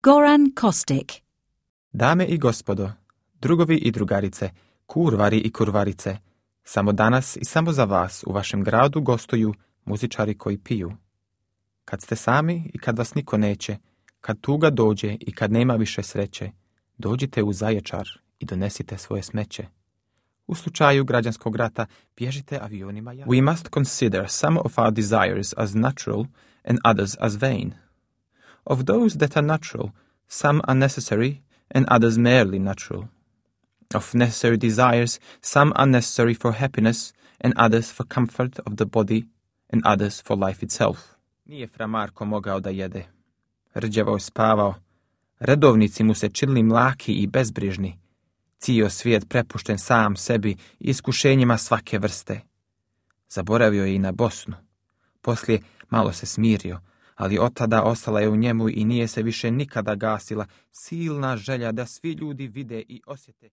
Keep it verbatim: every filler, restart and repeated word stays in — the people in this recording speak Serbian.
Goran Kostic. Dame i gospodo, drugovi i drugarice, kurvari i kurvarice, samo danas i samo za vas u vašem gradu gostuju muzičari koji piju. Kad ste sami i kad vas niko neće, kad tuga dođe i kad nema više sreće, dođite u Zaječar i donesite svoje smeće. U slučaju građanskog rata bježite avionima. We must consider some of our desires as natural and others as vain. Of those that are natural, some are necessary and others merely natural. Of necessary desires, some are necessary for happiness and others for comfort of the body and others for life itself. Nije fra Marko mogao da jede. Rđevao je spavao. Redovnici mu se činili mlaki i bezbrižni. Cijel svijet prepušten sam sebi i iskušenjima svake vrste. Zaboravio je i na Bosnu. Poslije malo se smirio, ali od tada ostala je u njemu i nije se više nikada gasila silna želja da svi ljudi vide i osjete